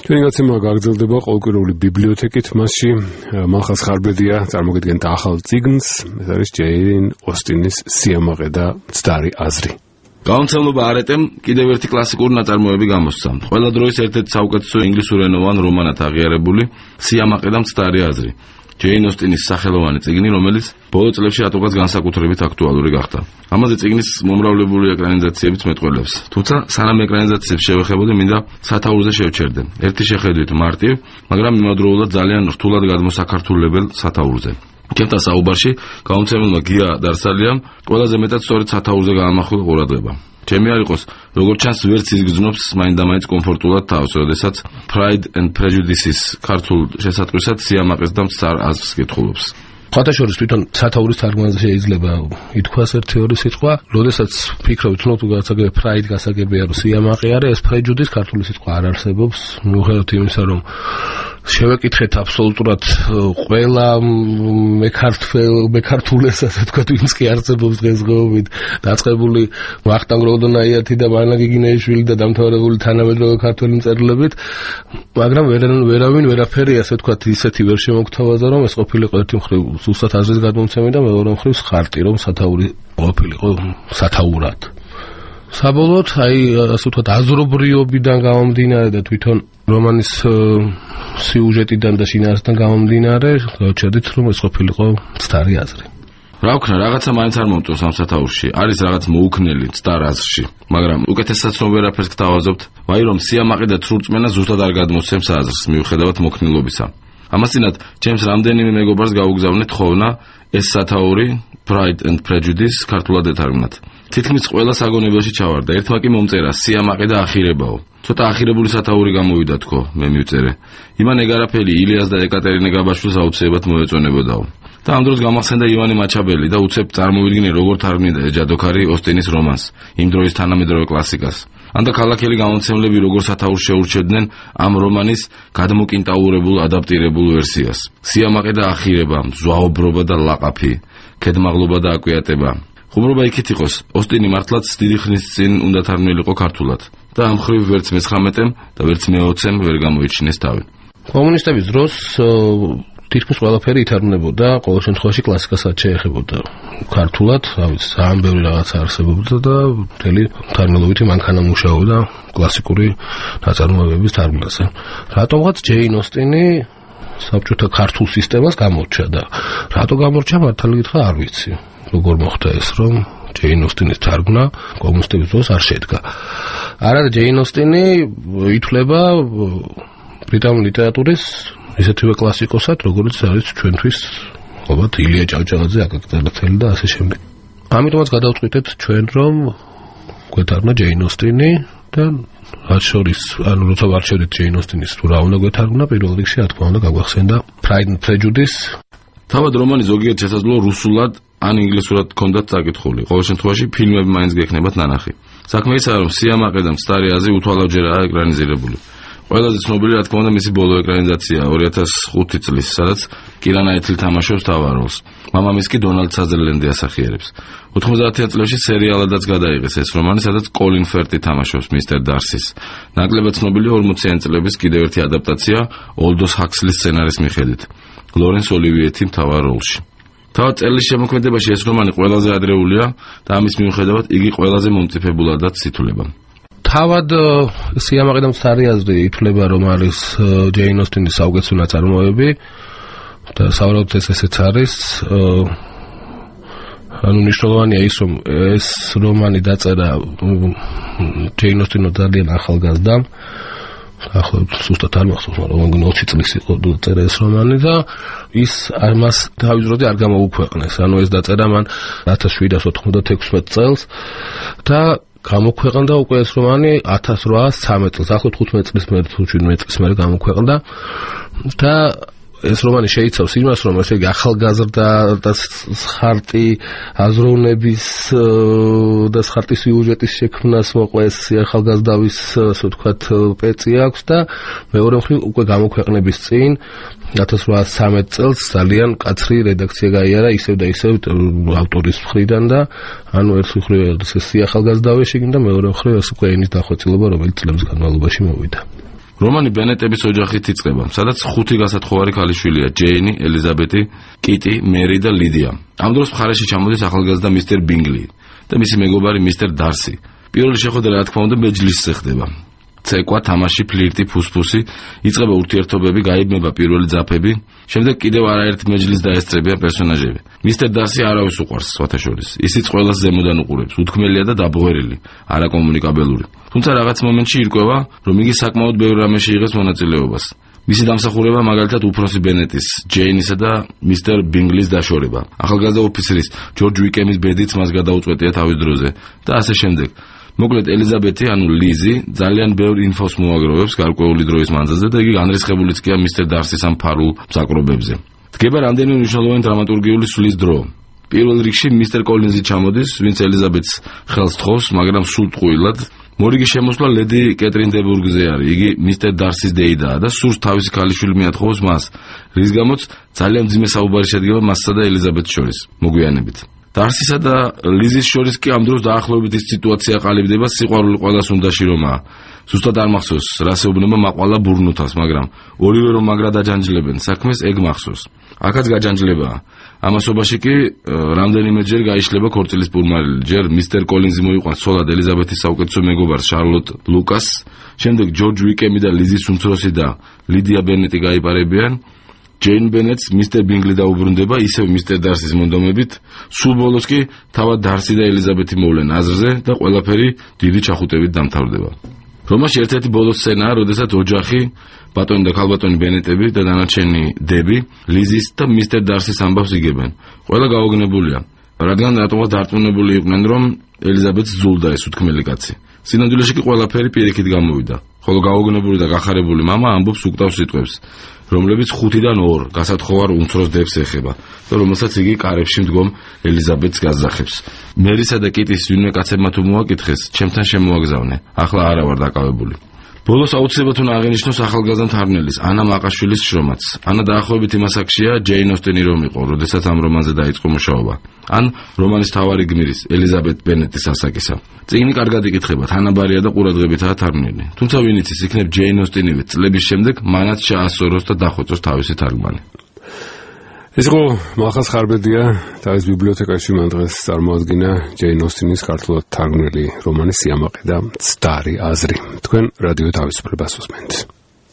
ჩვენი გაცემა გაგრძელდება ყოველკვირეული ბიბლიოთეკით, მასში მალხაზ ხარბედია წარმოგიდგენთ ახალ წიგნს, ეს არის ჯეინ ოსტინის სიამაყე და მცდარი აზრი. გამომცემლობა არეტემ კიდევ ერთი კლასიკური ნაწარმოები გამოსცა. ყველა დროის ერთ-ერთი საუკეთესო ინგლისურენოვან რომანად აღიარებული სიამაყე და მცდარი აზრი. ჯეინ ოსტინის სახელოვანი წიგნი, რომელიც ბოლო წლებში რატომღაც განსაკუთრებით აქტუალური გახდა. ამაზე წიგნის მომრავლებული ეკრანიზაციებიც მეტყველებს. თუმცა სანამ ეკრანიზაციებს შევეხებოდი, მინდა სათაურზე შევჩერდე. ერთი შეხედვით მარტივ, მაგრამ იმავდროულად ძალიან რთულად გადმოსაქართულებელ სათაურზე. ჩემთან საუბარში გამომცემელმა გია დარსალიამ ყველაზე მეტად სწორედ სათაურზე გაამახვილა ყურადღება. ჩემი არ იყოს, როგორც ჩანს, ვერც ის გრძნობს მაინდამაინც კომფორტულად თავს, როდესაც Pride and Prejudice-ის ქართულ შესატყვისად სიამაყეს და მცდარ აზრს კითხულობს. ხათაშორის თვითონ სათაურის თარგმანზე შეიძლება ითქვას ერთი-ორი სიტყვა, როდესაც ფიქრობთ, თუ გასაგები Pride გასაგებია, რომ სიამაყე არის, ეს Prejudice ქართული სიტყვა არ არსებობს, მიუხედავად იმისა, რომ შევეკითხეთ აბსოლუტურად ყველა მეკართულეს, ასე ვთქვათ, ვინც კი არსებობს დღესდღეობით, დაწყებული ვახტანგ როდონაიათი და მანა გიგინეიშვილი და დამთავრებული თანამედროვე ქართველი მწერლობით, მაგრამ ვერავინ ვერაფერი, ასე ვთქვათ, ისეთი ვერ შემოგთავაზა, რომ ეს ყოფილიყო ერთი მხრივ ზუსტად აზრის გადმოცემა და მეორე მხრივ ხარტი, რომ სათაური ყოფილიყო სათაურად. საბოლოოდ, ასე ვთქვათ, აზრობრიობიდან გამომდინარე და თვითონ რომანის სიუჟეტიდან და შინაარსიდან გამომდინარე, გავჩერდით, რომ ეს ყოფილიყო მცდარი აზრი. რა ვქნა, რაღაცა მაინც არ მომწონს ამ სათაურში. არის რაღაც მოუქნელი მცდარ აზრში, მაგრამ უკეთესაც რომ ვერაფერს გთავაზობთ, ვაი რომ სიამაყე და ცრურწმენა ზუსტად არ გადმოსცემს აზრს, მიუხედავად მოქნილობისა. ამასთანავ, ჩემს რამდენიმე მეგობარს გაუგზავნეთ ხოვნა ეს სათაური Pride and Prejudice ქართულად ეთარგმნათ. თითქმის ყველა საგონებელში ჩავარდა. ერთმა კი მომწერა სიამაყე და ახირებაო. ცოტა ახირებული სათაური გამოვიდა თქო, მე მივწერე. ივან ეგარაფელი, ილიას და ეკატერინე გაბაშვილს აუცილებლად მოეწონებოდაო. და ამ დროს გამახსენდა ივანე მაჩაბელი და უცებ წარმოვიდგინე როგორ თარგმნიდა ეჯადოქარი ოსტინის რომანს, იმ დროის თანამედროვე კლასიკას. ანდა ქალაქელი გამომცემლები როგორ სათაურს შეურჩევდნენ ამ რომანის გადმოკინტაურებულ ადაპტირებულ ვერსიას. სიამაყე და ახირება, ზვაობრობა და ლაყაფი, ქედმაღლობა და აკვიატება. ხუმრობა იქით იყოს, ოსტინი მართლაც დიდი ხნის წინ უნდა თარგმნილიყო ქართულად და ამ მხრივ ვერც მე-19-ემ და ვერც მე-20-ემ ვერ გამოიჩინეს თავი. კომუნისტების დროს თითქმის ყველაფერი ითარგმნებოდა, ყოველ შემთხვევაში კლასიკასაც შეეხებოდა ქართულად, ძალიან ბევრი რაღაცა არსებობდა და მთელი თარგმნელობითი მანქანა მუშაობდა კლასიკური ნაწარმოებების თარგმნაზე. რატომღაც ჯეინ ოსტინი საბჭოთა ქართულ სისტემას გამორჩა და რატო გამორჩა, მართალი გითხრა არ ვიცი. როგორ მოხდა ეს, რომ ჯეინ ოსტინის თარგმნა კომუნისტების დროს არ შედგა. არა, ჯეინ ოსტინი ითვლება ბრიტანული ლიტერატურის ისეთივე კლასიკოსად, როგორც არის ჩვენთვის, ალბათ ილია ჭავჭავაძე, აკაკი წერეთელი და ასე შემდეგ. ამიტომაც გადავწყვიტეთ ჩვენ, რომ გვეთარგმნა ჯეინ ოსტინი და რაც შორის, ანუ როცა ვარჩევდით ჯეინ ოსტინის თუ რა უნდა გვეთარგმნა, პირველ რიგში რა თქმა უნდა გაგვახსენდა Pride and Prejudice. თავად რომანი ზოგიერთ შესაძლოა რუსულად ან ინგლისურად ჰქონდათ წაკითხული. ყოველ შემთხვევაში ფილმები მაინც გექნებათ ნანახი. საქმე ისაა, რომ სიამაყე და მცდარი აზრი უთვალავჯერაა ეკრანიზირებული. ყველაზე ცნობილი რა თქმა უნდა მისი ბოლო ეკრანიზაცია 2005 წლის, სადაც კირა ნაიტლი თამაშობს მთავარ როლს. მამამისი კი დონალდ საზერლენდი ასახიერებს. 90-იან წლებში სერიალადაც გადაიღეს ეს რომანი, სადაც კოლინ ფერტი თამაშობს მისტერ დარსის. ნაკლებად ცნობილია 40-იან წლების კიდევ ერთი ადაპტაცია ოლდოს ჰაქსლის სცენარის მიხედვით. ლორენს ოლივიეთი მთავარ როლში. თავად წელს შემოქმედებაში ეს რომანი ყველაზე ადრეულია და ამის მიუხედავად იგი ყველაზე მომწიფებულადაც ითვლება. თავად სიამაყე და მცდარი აზრი ითვლება, რომ არის ჯეინ ოსტინის საუკეთესო ნაწარმოები და სავარაუდოდ ესეც არის. ანუ მნიშვნელოვანია ის, რომ ეს რომანი დაწერა ჯეინ ოსტინმა ძალიან ახალგაზრდამ. ახლა სუსტად არ მახსოვს, მაგრამ 20 წლის იყო დაწერა ეს რომანი და ის ამას თავის დროზე არ გამოუქვეყნეს. ანუ ეს დაწერა მან 1796 წელს და გამოქვეყნდა უკვე ეს რომანი 1813 წელს, ახლა 15 წლის მერე თუ 17 წლის მერე გამოქვეყნდა და ეს რომანი შეიცავს იმას, რომ ესე იგი ახალგაზრდა და ხარტი აზროვნების და ხარტის სიუჟეტის შექმნას მოყვეს ახალგაზრდავის, ასე ვთქვათ, პეწი აქვს და მეორე მხრივ უკვე გამოქვეყნების წინ 1813 წელს ძალიან კაცრი რედაქცია გაიარა ისევ და ისევ ავტორის მხრიდან და ანუ ერთ მხრივ ეს ახალგაზრდავის შეგინდა, მეორე მხრივ ეს უკვე ენის დახვეწილობა, რომელიც წლების განმავლობაში მოვიდა. რომანი ბენეტების ოჯახით იწყება, სადაც 5 გასათხოვარი ქალიშვილია: ჯეინი, ელიზაბეთი, კიტი, მერი და ლიდია. ამ დროს მხარეში ჩამოდის ახალგაზრდა მისტერ ბინგლი და მისი მეგობარი მისტერ დარსი. პირველი შეხვედრა, რა თქმა უნდა, მეჯლისზე ხდება. ცეკვა, თამაში, ფლირტი, ფუსფუსი, იწყება ურთიერთობები, გაიბნება პირველი ძაფები, შემდეგ კიდევ არაერთ მეჯლისს დაესწრებიან პერსონაჟები. მისტერ დარსი არავის უყვარს, სხვათაშორის. ისიც ყველას ზემოდან უყურებს, უთქმელია და დაბღვერილი, არაკომუნიკაბელური. თუმცა რაღაც მომენტში ირკვევა, რომ იგი საკმაოდ ბევრ რამეში იღებს მონაწილეობას. მისი დამსახურება მაგალითად უფროსი ბენეტის, ჯეინისა და მისტერ ბინგლის დაშორება. ახალგაზრდა ოფიცრის, ჯორჯ უიკემის ბედიც მას გადაუწყვეტია თავის დროზე და ასე შემდეგ. მოკლედ ელიზაბეთი, ანუ ლიზი, ძალიან ბევრ ინფოს მოაგროვებს გარკვეული დროის მანძილზე და იგი განრისხებულიც კი მისტერ დარსის ამ ფარულ მსაკრობებზე. დგება რამდენიმე მნიშვნელოვანი დრამატურგიული სვლის დრო. პირველ რიგში მისტერ კოლინზი ჩამოდის, ვინც ელიზაბეთს ხელს თხოვს, მაგრამ სულ ტყუილად. მორიგი შემოსვლა ლედი კეტრინ დე ბურგზე არის. იგი მისტერ დარსის დეიდაა და სურს თავისი ქალიშვილი მიათხოვოს მას, რის გამოც ძალიან მძიმე საუბარი შედგება მასსა და ელიზაბეთს შორის, მოგვიანებით. დარსისა და ლიზის შორის კი ამ დროს დაახლოებით ის სიტუაცია ყალიბდება, სიყვარული ყველას უნდაში რომაა. ზუსტად არ მახსოვს, რას ეუბნება მაყვალა ბურნუთას, მაგრამ ორივე რომ მაგრად აჯანჯლებენ საქმეს, ეგ მახსოვს. აქაც გაჯანჯლებაა. ამასობაში კი რამდენიმეჯერ გაიშლება ქორწილის პურმარილი. ჯერ მისტერ კოლინზი მოიყვანს ცოლად ელიზაბეთის საუკეთესო მეგობარს შარლოტ ლუკასს, შემდეგ ჯორჯ უიკემი და ლიზის უმცროსი და ლიდია ბენეტი გაიპარებიან. ჯეინ ბენეტს მისტერ ბინგლი დაუბრუნდება, ისევ მისტერ დარსის მონდომებით, სულ ბოლოს კი თავად დარსი და ელიზაბეთი მოვლენ აზრზე და ყველაფერი დიდი ჩახუტებით დამთავრდება. რომაში ერთ-ერთი ბოლო სცენაა, როდესაც ოჯახი, ბატონი და ქალბატონი ბენეტები და დანარჩენი დები, ლიზის და მისტერ დარსის ამბავს იგებენ. ყველა გაოგნებულია, რადგან რატომღაც დარწმუნებული იყვნენ, რომ ელიზაბეთს ზულდა ეს უთქმელი კაცი. სინამდვილეში კი ყველაფერი პირიქით გამოვიდა, ხოლო გაოგნებული და გახარებული მამა ამბობს უკტავს სიტყვებს, რომლებიც 5-დან 2 გასათხოვარ უმცროს დებს ეხება და რომელსაც იგი კარებში მდგომ ელიზაბეთს გაზახებს. მერისა და კიტის ვინმე კაცებმა თუ მოაკითხეს, ჩემთან შემოაგზავნე, ახლა არა ვარ დაკავებული. ბოლოს აუცილებლად უნდა აღინიშნოს ახალგაზრდა მთარგმნელის, ანა მაყაშვილის შრომაც. ანა დაახლოებით იმას აქშია ჯეინ ოსტენი რომ იყო, როდესაც ამ რომანზე დაიწყო მუშაობა. ან რომანის თავარი გმირის, ელიზაბეთ ბენეტის ასაკისა. წიგნი კარგად იკითხება, თანაბარია და ყურადღებითაა თარგმნილი. თუმცა ვინ იცის, იქნებ ჯეინ ოსტენივე წლების შემდეგ მანაც შეასწოროს და დახვეწოს თავისი თარგმანი. ეს იყო მახას ხარბედია, თავის ბიბლიოთეკაში მან დღეს წარმოადგინა ჯეინ ოსტენის ქართულად თარგმნილი რომანი სიამაყე და მცდარი აზრი. თქვენ რადიო თავისუფლებას უსმენთ.